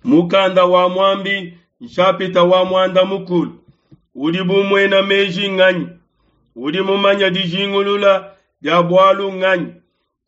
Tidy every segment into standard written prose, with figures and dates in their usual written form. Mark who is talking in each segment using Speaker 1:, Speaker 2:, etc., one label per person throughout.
Speaker 1: Mukanda wa Muambi nshapita wa muanda mukulu udi bu muena meji nganyi? Udi mumanye dijingulula dia bualu nganyi?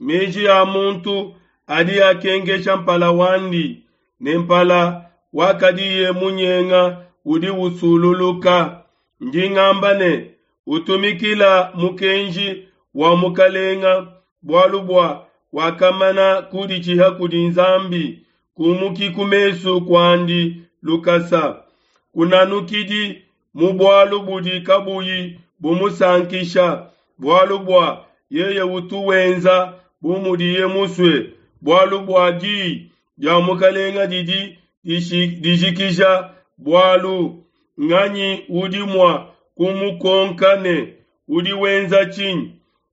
Speaker 1: Meji a muntu adi akenkesha mpala wandi, ne mpala wakadiye munyenga udi usululuka. Ndi ngamba ne, utumikila mukenji wa mukalenga, bualu bua wakamana kuditshiha kudi Nzambi, kumuki ku mesu kuandi lukasa. Kunanukidi mu bualu budi kabuyi bumusankisha, bualu bua yeye utu wenza bu mudiye musue, bualu bua diyi dia mukalenga didi dijikija bualu. Nganyi udi mua kumukonka ne, udi wenza tshinyi?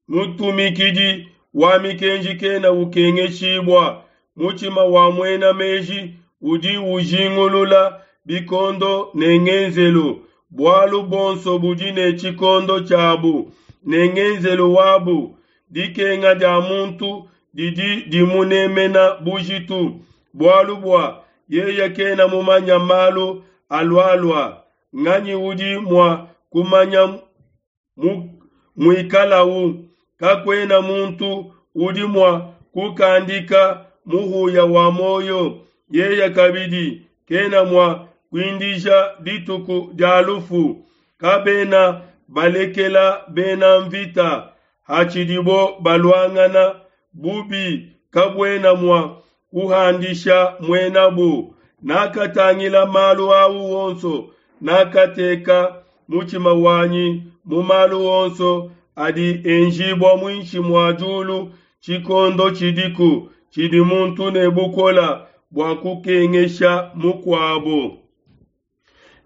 Speaker 1: Mutumikidi wa mikenji kena ukengeshibua. Mutshima wa muena meji udi ujingulula bikondo ne ngenzelu. Bualu buonso budi ne tshikondo tshiabu ne ngenzelu wabu. Dikenga dia muntu didi dimunemena bujitu, bualu bua yeye kena mumanya malu alualua. Nganyi udi mua kumanya muikalau? Kakuena muntu udi mua kukandika muhuya wa muoyo. Yeye kabidi kena mua kuindija dituku dia lufu. Kabena balekela bena mvita hatshidibo baluangana. Bubi kabuena mua kuhandisha muenabu. Nakatangila malu au onso, nakateka mutshima wanyi mu malu onso adi enjibua muinshi mua diulu. Tshikondo tshidiku tshidi muntu ne bukola bua kukengesha mukuabo.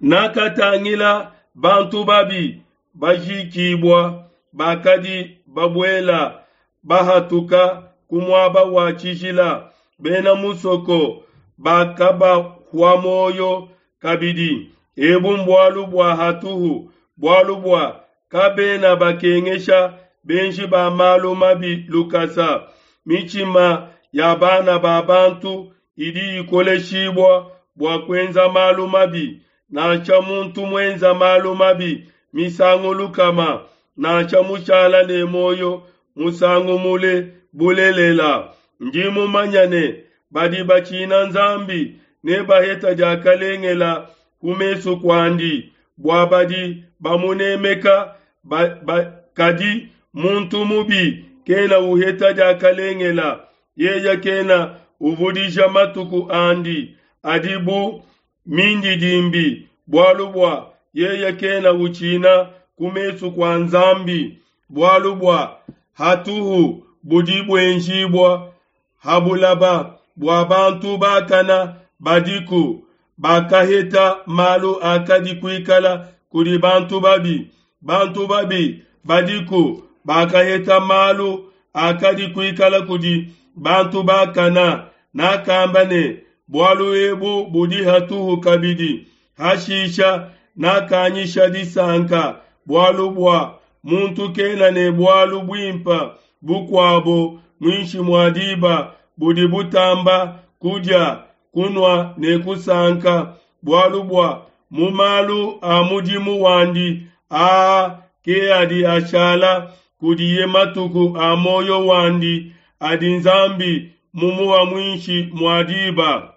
Speaker 1: Nakatangila bantu babi bajikibua, bakadi babuela bahatuka ku muaba wa tshijila. Bena musoko bakabahua muoyo kabidi. Ebu mbualu bua hatuhu, bualu bua kabena bakengesha benji ba malu mabi lukasa. Mitshima ya bana ba bantu idi ikoleshibua bua kuenza malu mabi. Nansha muntu muenza malu mabi misangu lukama, nansha mushala ne muoyo musangu mule, bulelela ndi mumanya ne, badi batshina Nzambi nebaheta diakalengela ku mesu kuandi, bua badi bamunemeka ba, ba, kadi muntu mubi kena uheta diakalengela, yeye kena uvudija matuku andi adi bu mindidimbi, bualu bua yeye kena utshina ku mesu kua Nzambi, bualu bua hatuhu budi buenjibua ha bulaba bua bantu bakana badiku bakaheta malu akadi kuikala kudi bantu babi. Bantu babi badiku bakaheta malu akadi kuikala kudi bantu bakana. Nakamba ne, bualu ebu budi hatuhu kabidi. Hashisha nakanyisha disanka, bualu bua muntu kena ne bualu buimpa bukuabo muinshi mua diba budi butamba kudia, kunua ne kusanka, bualu bua mu malu a mudimu wandi aa ke adi ashala kudiye matuku a muoyo wandi adi Nzambi mumuha muinshi mua diba.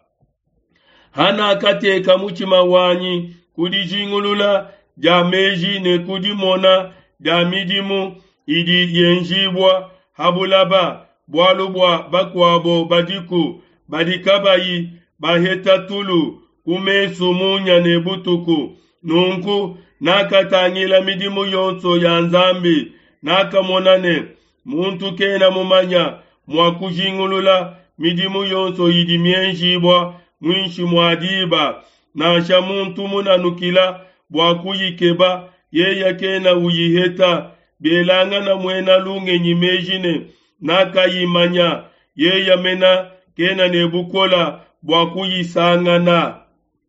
Speaker 1: Hanakateka mutshima wanyi ku dijingulula dia meji ne ku dimona dia midimu idi yenjibua ha bulaba, bualu bua bakuabo badiku badi kabayi baheta tulu ku mesu munya ne butuku. Nunku nakatangila midimu yonso ya Nzambi, nakamona ne muntu kena mumanya mua kujingulula midimu yonso idi mienjibua muinshi mua diba. Nansha muntu munanukila bua kuyikeba, yeye kena uyiheta. Bielangana muena lungenyi meji ne nakayimanya, yeye mena kena ne bukola bua kuyisangana.